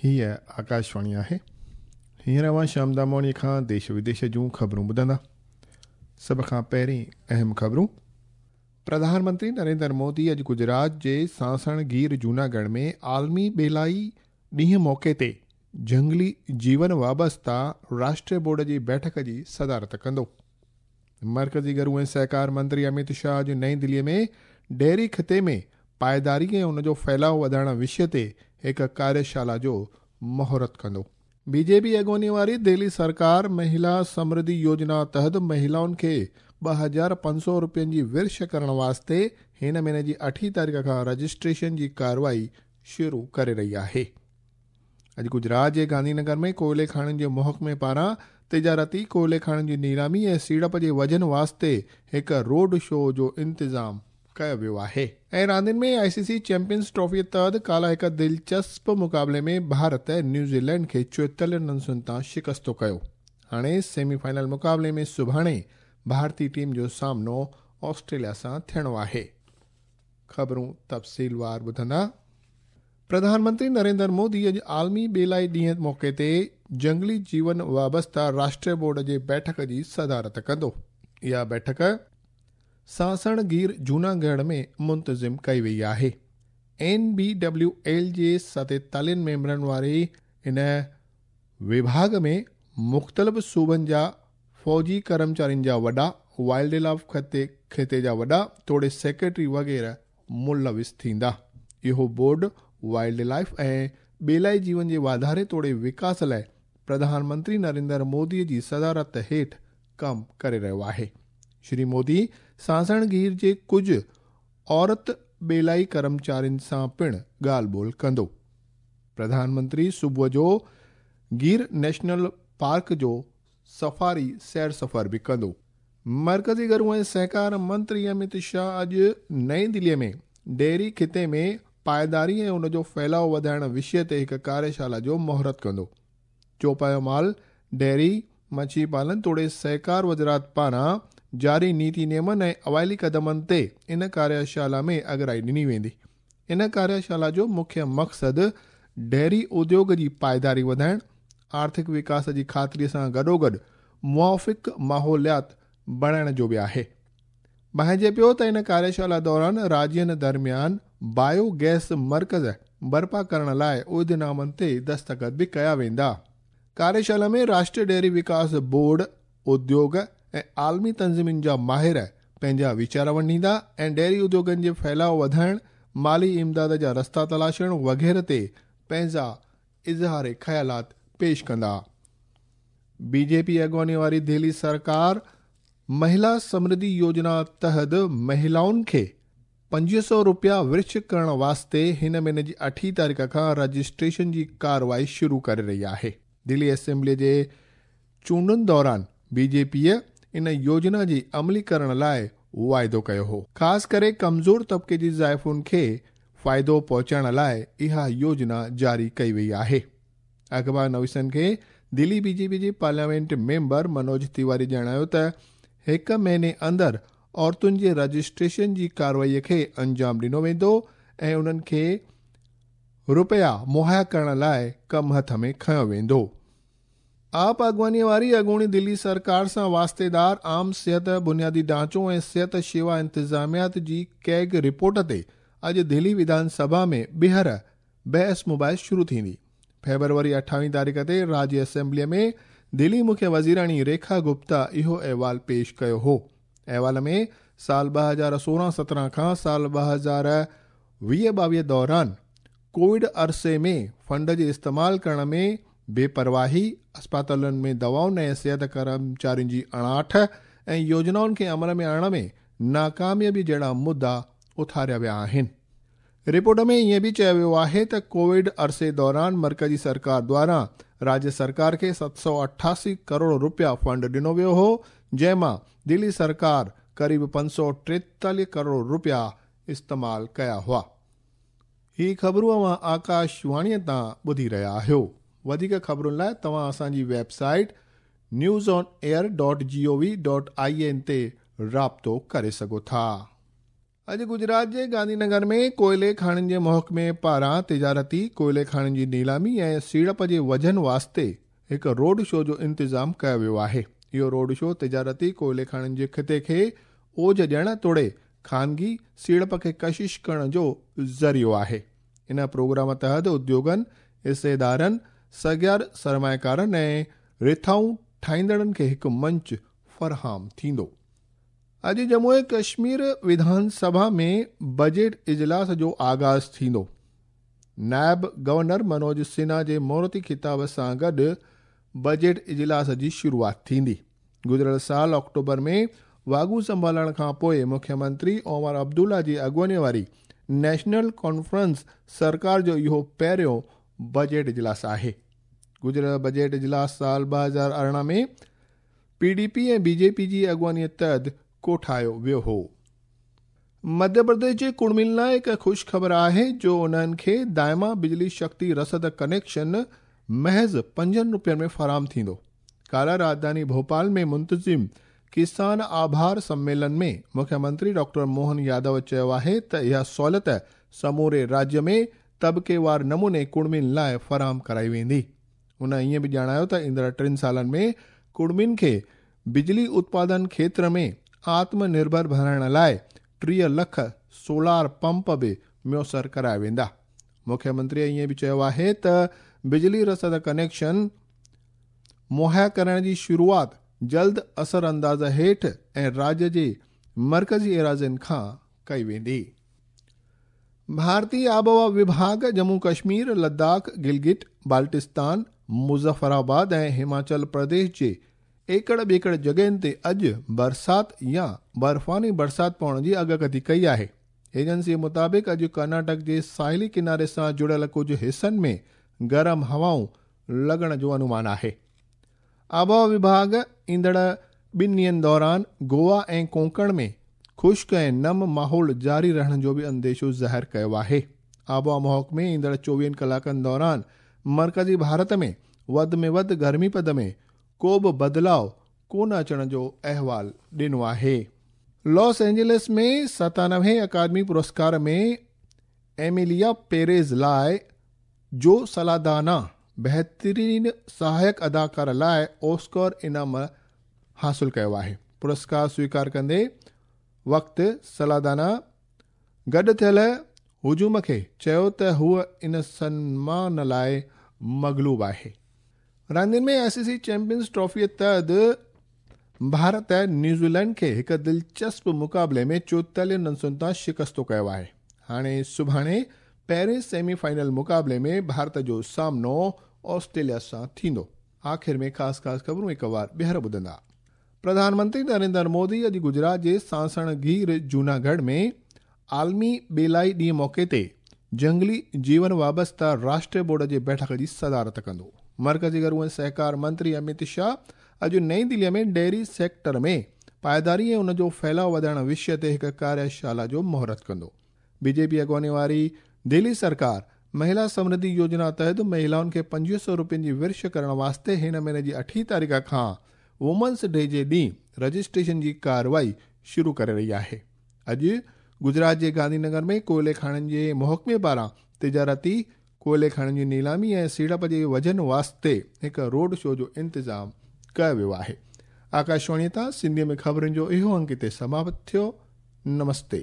هيء آڪاشواڻي آهي. هينئر اوهان شيام دامواڻيء کان ديش وديش جون خبرون ٻڌندا. سڀ کان پهرين اهم خبرون. پرڌان منتري نريندر مودي اڄ گجرات جي سانسڻ گير جوناڳڙهه ۾ عالمي ٻيلائي ڏينهن موقعي تي جهنگلي جيون وابسته راشٽريه بورڊ جي بيٺڪ جي صدارت ڪندو. مرڪزي گهرو ۽ سهڪار منتري اميت شاهه اڄ نئين دلي ۾ ڊيري خطي ۾ پائيداري ۽ ان جو ڦهلاء وڌائڻ وشيه تي هڪ ڪاريشالا جو مهورت ڪندو. بي جي پي اڳواڻي واري دهلي سرڪار مهلا سمرڌي يوجنا تحت مهلائن کي 2500 روپين جي ورڇ ڪرڻ واسطي هن مهيني جي اٺين تاريخ کان رجسٽريشن جي ڪارروائي شروع ڪري رهي آهي. اڄ گجرات جي گانڌي نگر ۾ ڪوئلي کاڻين جي محڪمي پاران تجارتي ڪوئلي کاڻين جي نيلامي ۽ سيڙپ جي وجهن واسطي هڪ روڊ شو جو انتظام ڪيو ويو آهي. ۽ راندين ۾ آء سي سي چيمپيئنز ٽرافي تحت ڪالهه هڪ دلچسپ مقابلي ۾ ڀارت نيوزيلينڊ کي 44 رنسن تان شڪستو ڪيو. هاڻي سيمي فائنل مقابلي ۾ سڀاڻي ڀارتي ٽيم جو سامنو آسٽريليا سان ٿيڻو آهي. خبرون تفصيلوار ٻڌندا. پرڌان منتري نريندر مودي اڄ عالمي ٻيلائي ڏينهن موقعي تي جهنگلي جيون وابسته راشٽريه بورڊ جي بيٺڪ جي صدارت ڪندو. اها بيٺڪ سانسڻ گير جوناڳڙهه ۾ منتظم ڪئي وئي آهي. اين بي ڊبليو ايل جي 47 ميمبرن واري ان وڀاڳ ۾ مختلف صوبن جا فوجي ڪرمچارين جا وڏا، وائلڊ لائف کاتي جا وڏا توڙي سيڪريٽري وغيره ملوث ٿيندا. اهو بورڊ وائلڊ لائف ۽ ٻيلائي جيون جي واڌاري توڙي وڪاس لاء پرڌان منتري نريندر مودي جي صدارت هيٺ ڪم ڪري رهيو آهي. شري مودي سانسڻ گير جي ڪجهه عورت ٻيلائي ڪرمچارين سان پڻ ڳالهه ٻولهه ڪندو. پرڌان منتري صبح جو گير نيشنل پارڪ جو سفاري سير سفر به ڪندو. مرڪزي گهرو ۽ سهڪار منتري اميت شاهه اڄ نئين دلي ۾ ڊيري خطي ۾ پائيداري ۽ ان جو ڦهلاء وڌائڻ وشيه تي هڪ ڪاريشالا جو مهورت ڪندو. چوپايو مال، ڊيري، مڇي پالن توڙي سهڪار وزارت پاران جاري نيتي نيمن ۽ اوائلي قدمن تي ان ڪاريشالا ۾ اڳرائي ڏني ويندي. ان ڪاريشالا جو مکيه مقصد ڊيري اديوگ جي پائيداري وڌائڻ، آرٿڪ وڪاس جي خاطري سان گڏوگڏ موافق ماحوليات بڻائڻ جو به آهي. ڀانئجي پيو ته ان ڪاريشالا دوران راجين درميان بايو گئس مرڪز برپا ڪرڻ لاء عهدنامن تي دستخط به ڪيا ويندا. ڪاريشالا ۾ راشٽريه ڊيري وڪاس بورڊ، اديوگ ۽ عالمي تنظيمن جا ماهر پنهنجا ويچار ونڊيندا ۽ ڊيري اديوگن جي ڦهلاء وڌائڻ، مالي امداد جا رستا تلاشڻ وغيره تي پنهنجا اظهار خيالات پيش ڪندا. بي جي پي اڳواڻي واري دهلي سرڪار مهلا سمرڌي يوجنا تحت مهلائن کي 2500 روپيا ورڇ ڪرڻ واسطي هن مهيني جي اٺين تاريخ کان رجسٽريشن جي ڪارروائي شروع ڪري رهي آهي. دهلي اسيمبلي جي چونڊن دوران بي جي پيء ان يوجنا جي عملي ڪرڻ لاء واعدو ڪيو هو. خاص ڪري ڪمزور طبقي جي زائفن کي فائدو پهچائڻ لاء اها يوجنا جاري ڪئي وئي آهي. اخبار نويسن کي دهلي بي جي پي جي پارليامينٽ ميمبر منوج تيواري ڄاڻايو ته هڪ مهيني اندر عورتن جي رجسٽريشن جي ڪارروائي کي انجام ڏنو ويندو ۽ انهن کي روپيا مهيا ڪرڻ لاء ڪم هٿ ۾ کنيو ويندو. آپ اڳواڻيء واري اڳوڻي دلي سرڪار سان واسطيدار عام صحت، بنيادي ڍانچو ۽ صحت شيوا انتظاميات جي ڪيگ رپورٽ تي اڄ دهلي وڌان سڀا ۾ ٻيهر بحث مباحث شروع ٿيندي. فيبروري اٺاويهين تاريخ تي راجيه اسيمبليء ۾ دهلي مکيه وزيراڻي ريکا گپتا اهو احوال پيش ڪيو هو. احوال ۾ سال 2016 17 کان سال 2020 22 دوران ڪووڊ عرصي ۾ فنڊ جي استعمال ڪرڻ ۾ بي پرواهي، اسپتالن ۾ دوائن ۽ صحت ڪرمچارين جي اڻاٺ ۽ يوجنائن کي عمل ۾ آڻڻ ۾ ناڪاميابي جهڙا مدعا اٿاريا ويا آهن. رپورٽ ۾ ائين به چيو ويو آهي ته ڪووڊ عرصي دوران مرڪزي سرڪار دواران راجيه سرڪار کي 788 ڪروڙ روپيا فنڊ ڏنو ويو هو، جنهن مان دلي سرڪار قريب 543 ڪروڙ روپيا استعمال ڪيا هئا. هي خبرون اوهان آڪاش واڻيء تان ٻڌي رهيا آهيو. وڌيڪ خبرن لاء توهان اسان جي website news on air dot G O V dot I N تي رابطو ڪري سگهو ٿا. اڄ گجرات جي گانڌي نگر ۾ ڪوئلي کاڻين جي محڪمي پاران تجارتي ڪوئلي کاڻين جي نيلامي ۽ سيڙپ جي وجهن واسطي هڪ روڊ شو جو انتظام ڪيو ويو آهي. اهو روڊ شو تجارتي ڪوئلي کاڻين جي خطي کي اوج ڏيڻ توڙي خانگي سيڙپ کي ڪشش ڪرڻ جو ذريعو آهي. ان پروگرام تحت اديوگن، حصيدارن، سگهيار سرمائيڪارن ۽ رٿائون ٺاهيندڙن کي هڪ منچ فراهم ٿيندو. اڄ ڄمون ۽ ڪشمير وڌان سڀا ۾ بجيٽ اجلاس جو آغاز ٿيندو. نائب گورنر منوج سنها جي مهورتي خطاب سان گڏ بجيٽ اجلاس جي شروعات ٿيندي. گذريل سال آڪٽوبر ۾ واڳون سنڀالڻ کان پوء مکيه منتري عمر عبدالله جي اڳواڻي واري نيشنل ڪانفرنس سرڪار جو اهو پهريون بجيٽ اجلاس آهي. گذريل بجيٽ اجلاس سال 2018 ۾ P D P ۽ B J P جي اڳواڻيء تحت ڪوٺايو ويو هو. مڌيه پرديش جي ڪڙمين لاء هڪ خوش خبر آهي جو انهن کي دائما بجلي شڪتي رسد ڪنيڪشن محض 5 روپين ۾ فراهم ٿيندو. ڪالهه راڄڌاني ڀوپال ۾ منتظم ڪسان آڀار سميلن ۾ مکيه منتري ڊاڪٽر موهن يادو چيو آهي ته اها سهولت سموري راجيه ۾ طبقيوار نموني ڪڙمين لاء فراهم ڪرائي ويندي. هن ائين به ڄاڻايو ته ايندڙ 3 سالن ۾ ڪڙمين کي بجلي اتپادن کيتر ۾ آتم نرڀر بڻائڻ لاء 30 لک سولار پمپ به ميسر ڪرايا ويندا. مکيه منتري ائين به چيو آهي ته بجلي رسد ڪنيڪشن مهيا ڪرڻ جي شروعات جلد اثر انداز هيٺ ۽ راجيه جي مرڪزي ايراضين کان ڪئي ويندي. ڀارتي آبهوا وڀاڳ ڄمون ڪشمير، لداخ، گلگت بالٽستان، مظفر آباد ۽ هماچل پرديش جي ايڪڙ ٻيڪڙ جڳهين تي اڄ برسات يا برفاني برسات پوڻ جي اڳڪٿي ڪئي آهي. ايجنسي مطابق اڄ ڪرناٽڪ جي ساحلي ڪناري سان جڙيل ڪجهه حصن ۾ گرم هوائون لڳڻ جو انومان آهي. آبهوا وڀاڳ ايندڙ 2 ڏينهن دوران گوا ۽ ڪونڪڻ ۾ خشڪ ۽ نم ماحول جاري رهڻ جو به انديشو ظاهر ڪيو آهي. آبهوا محڪمي ايندڙ 24 ڪلاڪن دوران مرڪزي ڀارت ۾ وڌ ۾ وڌ گرمي پد ۾ ڪو به بدلاء ڪونه اچڻ جو احوال ڏنو آهي. لاس اينجلس ۾ 97 اڪادمي پرسڪار ۾ ايميليا پيريز لاء جو سلادانا بهترين سهائڪ اداڪار لاء اوسڪار انعام حاصل ڪيو آهي. پرسڪار سويڪار ڪندي وقت سلادانا گڏ ٿيل هجوم کي چيو ته هوء ان سنمان لاء مغلوب آهي. راندين ۾ آء سي سي چيمپيئنز ٽرافيء تحت ڀارت نيوزيلينڊ کي هڪ دلچسپ مقابلي ۾ 44 رنسن تان شڪستو ڪيو آهي. هاڻي سڀاڻي پهرين سيمي فائنل مقابلي ۾ ڀارت جو سامنو آسٽريليا سان ٿيندو. آخر ۾ خاص خاص خبرون هڪ وار ٻيهر ٻڌندا. پرڌان منتري نريندر مودي اڄ گجرات جي سانسڻ گير جوناڳڙهه ۾ عالمي ٻيلائي ڏينهن موقعي تي جهنگلي جيون وابسته راشٽريه بورڊ جي بيٺڪ جي صدارت ڪندو. مرڪزي گهرو ۽ سهڪار منتري اميت شاهه اڄ نئين دلي ۾ ڊيري سيڪٽر ۾ پائيداري ۽ ان جو ڦهلاء وڌائڻ وشيه تي هڪ ڪاريشالا جو مهورت ڪندو. بي جي پي اڳواڻي واري دهلي سرڪار مهلا سمرڌي يوجنا تحت مهلائن کي 2500 روپين جي ورڇ ڪرڻ واسطي هن مهيني جي 8 تاريخ کان وومنس ڊي جي ڏينهن رجسٽريشن جي ڪارروائي شروع ڪري رهي آهي. اڄ گجرات جي گانڌي نگر ۾ ڪوئلي کاڻين جي محڪمي پاران تجارتي ڪوئلي کاڻين جي نيلامي ۽ سيڙپ جي وجهن واسطي هڪ روڊ شو جو انتظام ڪيو ويو آهي. آڪاشواڻي تان سنڌي ۾ خبرن جو اهو انڪ هتي سماپت ٿيو. نمستي.